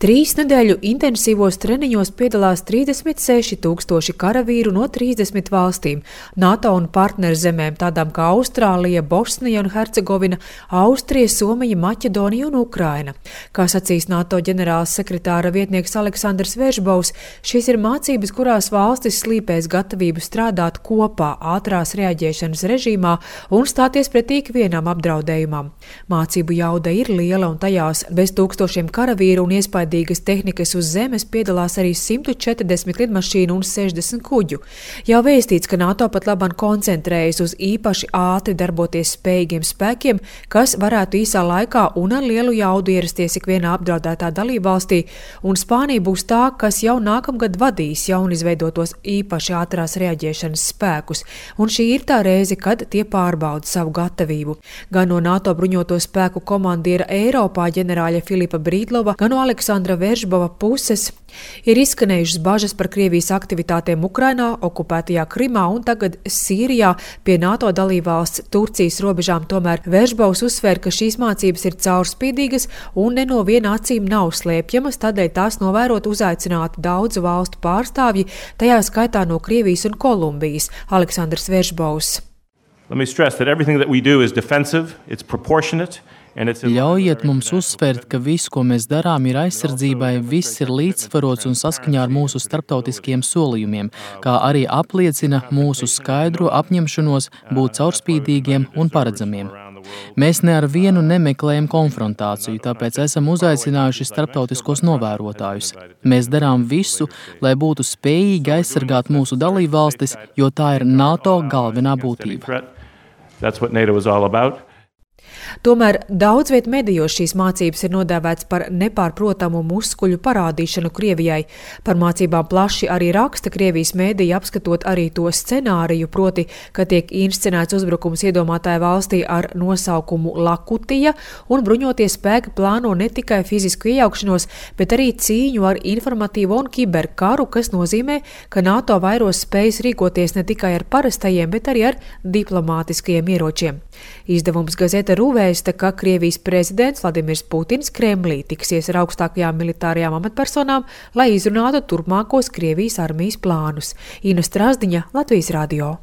3 nedēļu intensīvos treniņos piedalās 36,000 karavīru no 30 valstīm, NATO un partnerzemēm tādām kā Austrālija, Bosnija un Hercegovina, Austrija, Somija, Maķedonija un Ukraina. Kā sacīs NATO ģenerāls sekretāra vietnieks Aleksandrs Veržbovs, šīs ir mācības, kurās valstis slīpēs gatavību strādāt kopā ātrās reaģēšanas režīmā un stāties pretī ikvienam apdraudējumam. Mācību jauda ir liela un tajās bez tūkstošiem karavīru un iespējamības tehnikas uz zemes piedalās arī 140 lidmašīnu un 60 kuģu. Jau vēstīts, ka NATO pat labāk koncentrējas uz īpaši ātri darboties spējīgiem spēkiem, kas varētu īsā laikā un ar lielu jaudu ierasties ikvienā apdraudētā dalībvalstī, un Spānija būs tā, kas jau nākamgad vadīs jaunizveidotos īpaši ātrās reaģēšanas spēkus, un šī ir tā reize, kad tie pārbauda savu gatavību. Gan no NATO bruņoto spēku komandiera Eiropā ģenerāļa Filipa Brīdlova, gan no Aleksandra Veržbova puses ir izskanējušas bažas par Krievijas aktivitātēm Ukrainā, okupētajā Krimā un tagad Sīrijā pie NATO dalībvalsts Turcijas robežām. Tomēr Veržbovs uzsver, ka šīs mācības ir caurspīdīgas un ne no viena acīm nav slēpjamas, tādēļ tās novērot uzaicināti daudzu valstu pārstāvji, tajā skaitā no Krievijas un Kolumbijas. Aleksandrs Veržbovs. Let me stress that everything that we do is defensive, it's proportionate. Ļaujiet mums uzsvērt, ka viss, ko mēs darām, ir aizsardzībai, viss ir līdzsvarots un saskaņā ar mūsu starptautiskiem solījumiem, kā arī apliecina mūsu skaidro apņemšanos būt caurspīdīgiem un paredzamiem. Mēs ne ar vienu nemeklējam konfrontāciju, tāpēc esam uzaicinājuši starptautiskos novērotājus. Mēs darām visu, lai būtu spējīgi aizsargāt mūsu dalībvalstis, jo tā ir NATO galvenā būtība. Tomēr daudz viet medijos šīs mācības ir nodēvēts par nepārprotamu muskuļu parādīšanu Krievijai. Par mācībām plaši arī raksta Krievijas mēdīja, apskatot arī to scenāriju, proti, ka tiek inscenēts uzbrukums iedomātāja valstī ar nosaukumu Lakutija, un bruņotie spēki plāno ne tikai fizisku iejaukšanos, bet arī cīņu ar informatīvo un kiberkaru, kas nozīmē, ka NATO vairos spējas rīkoties ne tikai ar parastajiem, bet arī ar diplomātiskajiem ieročiem. Izdevums Gazeta vēsta, ka Krievijas prezidents Vladimirs Putins Kremlī tiksies ar augstākajām militārajām amatpersonām, lai izrunātu turpmākos Krievijas armijas plānus. Ina Strazdiņa, Latvijas radio.